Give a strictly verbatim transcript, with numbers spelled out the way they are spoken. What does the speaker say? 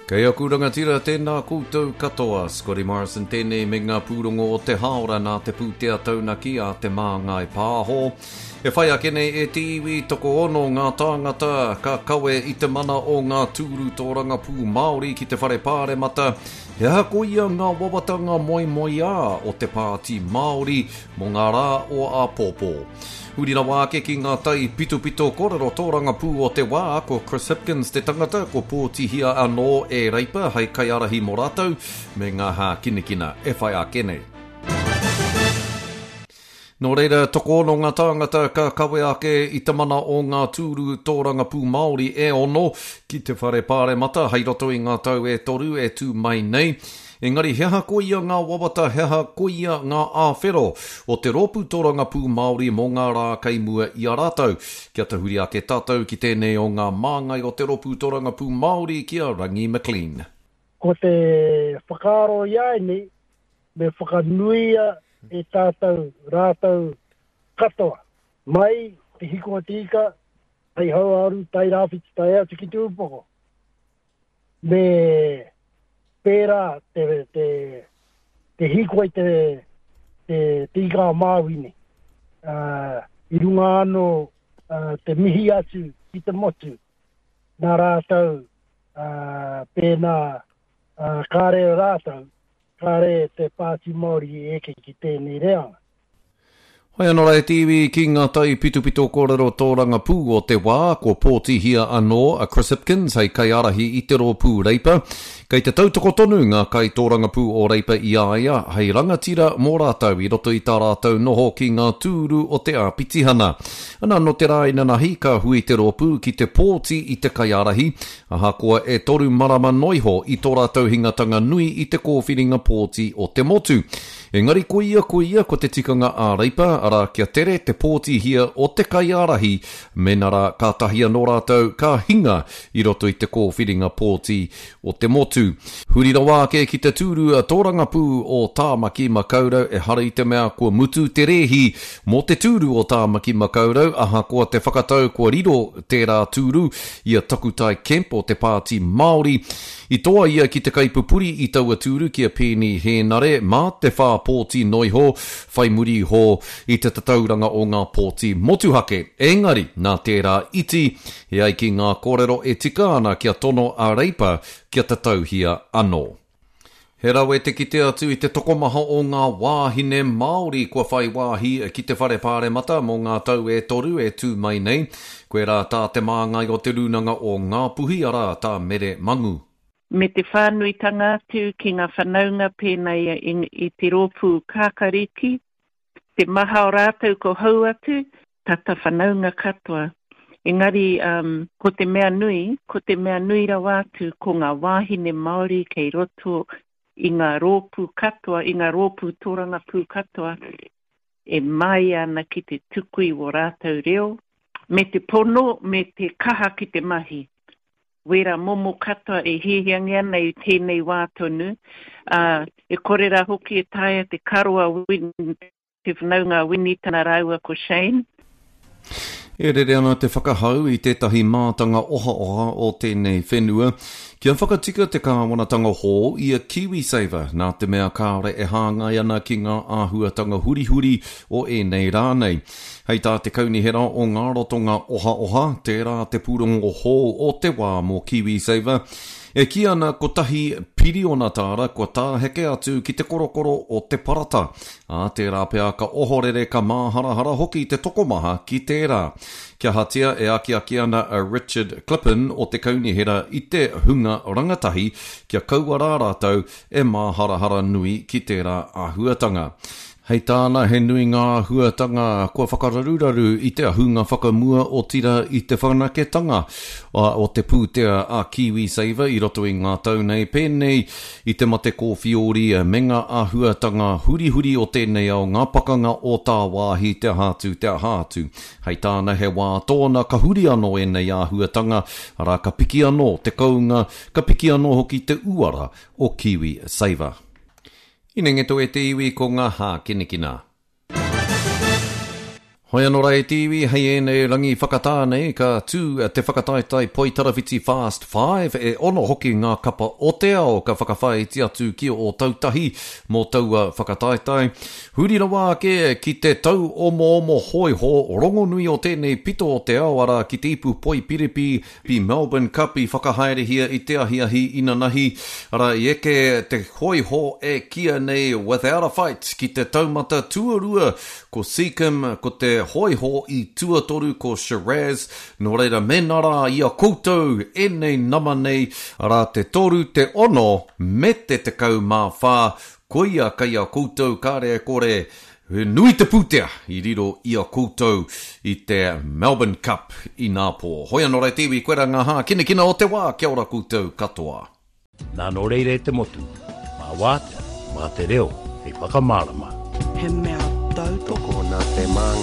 Kei aku rangatira, tēnā koutou katoa. Scotty Morrison tēnei me ngā pūrongo o te haora nā te pūtea taunaki a Te Māngai Pāho. E whai ake nei e te iwi, tokoono ngā tāngata ka kawe i te mana o ngā tūru tōrangapū Māori ki te whare pāremata. He aha koia ngā wawata ngā moemoeā o te Pāti Māori mō ngā rā o āpōpō. Huri rawa ake ki ngā tai pitopito kōrero tōrangapū o te wā, ko Chris Hipkins te tangata, ko pōtihia anō e Reipa hei kaiārahi mō rātou, me ngā hākinakina e whai ake nei. Nō reira, tokoono ngā tāngata ka kawe ake i te mana o ngā tūru tōrangapū Māori e ono ki te whare pāremata hei roto i ngā tau e toru e tū mai nei. Engari he aha koia ngā wawata, he aha koia ngā āwhero o te rōpū tōrangapū Māori mō ngā rā kei mua i a rātou. Kia tahuri ake tātou ki tēnei o ngā māngai o te rōpū tōrangapū Māori ki a Rangi McLean. Ko te whakaaro i a nei, me whakanuia e tātou rātou katoa. Mai te hiko o te ika, tai hauāuru, tai rāwhiti, tae atu ki te upoko. Me pērā te, te, te hīkoi te, te, te ika a Māui nei. Uh, I runga anō uh, te mihi atu ki te motu, nā rātou uh, pēnā uh, kāre rātou, kāre te Pāti Māori i eke ki tēnei reanga. Hoi anō rā e te iwi ki ngā tai pitopito kōrero tōrangapū o te wā, ko pōtihia anō a Chris Hipkins hei kaiārahi i te rōpū Reipa. Kei te tautoko tonu ngā kai tōrangapū o Reipa i a ia hei rangatira mō rātou i roto i tā rātou noho ki ngā tūru o te āpitihana. Ana nō te rā inanahi ka hui te rōpū ki te pōti i te kaiārahi, ahakoa e toru marama noa iho i tō rātou hingatanga nui i te kōwhiringa pōti o te motu. Engari koia koia ko te tikanga a Reipa, arā kia tere te pōtihia o te kaiārahi, mēnā rā kātahi anō rātou ka hinga i roto i te kōwhiringa pōti o te motu. Huri rawa ake ki te tūru tōrangapū o Tāmaki Makaurau, ehara i te mea kua mutu te rēhi mō te tūru o Tāmaki Makaurau, ahakoa te whakatau kua riro tērā tūru i a Takutai Kemp o te Pāti Māori. I toa ia ki te kaipupuri i taua tūru ki a Peeni Hēnare mā te whā pōti noa iho, whai muri iho i te tatauranga o ngā pōti motuhake. Engari, nā tērā iti, e ai ki ngā kōrero e tika ana kia tono a Reipa kia tatauhia anō. He rawe te kite atu i te tokomaha o ngā wāhine Māori kua whai wāhi ki te whare pāremata mō ngā tau e toru e tū mai nei. Koirā tā te māngai o te Rūnanga o Ngāpuhi, arā tā Mere Mangu. Me te whānuitanga atu ki ngā whanaunga pēnā i, i te rōpū kākariki, te maha o rātou ko hou atu, tata whanaunga katoa. Engari, um, ko te mea nui, ko te mea nui rawa atu, ko ngā wāhine Māori kei roto i ngā rōpū katoa, i ngā rōpū tōrangapū katoa, e māia ana ki te tuku i wō rātou reo, me te pono, me te kaha ki te mahi. Wera momo katoa e hiahiangia ana i tēnei wā tonu, uh, e kore rā hoki e taea te karo a Win, te whanaunga a Winitana rāua ko Shane. E rere ana te whakahau i tētahi mātanga ohaoha o tēnei whenua kia whakatika te kāwanatanga hou i a KiwiSaver nā te mea kāore e hāngai ana ki ngā āhuatanga hurihuri o ēnei rā nei. Hei tā te kaunihera o ngā rotonga ohaoha, tērā te pūrongo hou o te wā mō KiwiSaver, e kī ana kotahi piriona tāra kua tāheke atu ki te korokoro o te parata. Ā, tērā pea ka ohorere ka māharahara hoki te tokomaha ki tērā. Kia hatia e akiaki ana a Richard Clippen o te kaunihera i te hunga rangatahi kia kaua rā rātou e māharahara nui ki tērā āhuatanga. Hei tāna he nui ngā āhuatanga kua whakararuraru i te ahunga whakamua otira i te whanaketanga o te pūtea a KiwiSaver i roto i ngā tau nei, pēnei i te mate kōwhiori me ngā āhuatanga hurihuri o tēnei ao, ngā pakanga o tāwāhi, te aha atu, te aha atu. Hei tāna he wā tōna ka huri anō ēnei āhuatanga, arā ka piki anō te kounga, ka piki anō hoki te uara o KiwiSaver. Inengeto e te iwi ko ngā hākinakina. Hoi anō rā e te iwi, hei ēnei rangi whakatā nei ka tū te whakataetae Poitarawhiti Fast Five, e ono hoki ngā kapa o te ao ka whakawhāiti atu ki Ōtautahi mō taua whakataetae. Huri rawa ake ki te tau omoomo hōiho rongonui o tēnei pito o te ao, arā ki te ipu Poipiripi pi Melbourne Cup i whakahaerehia i te ahiahi inanahi, arā i eke te hōiho e kīia nei Without a Fight ki te taumata tuarua ko Seacombe, ko te hōiho i tuatoru ko Shiraz, nō reira mēnā rā i a koutou ēnei nama nei, arā te toru, te ono me te tekau mā whā, koia kei a koutou kāre e kore, he nui te pūtea i riro i a koutou i te Melbourne Cup inapō. Hoi anō rā e te iwi, koirā ngā hākinakina o te wā, kia ora koutou katoa. Nā nō reira e te motu, mā Wātea, mā te reo hei whakamārama. He mea tautoko. Tokona te mana.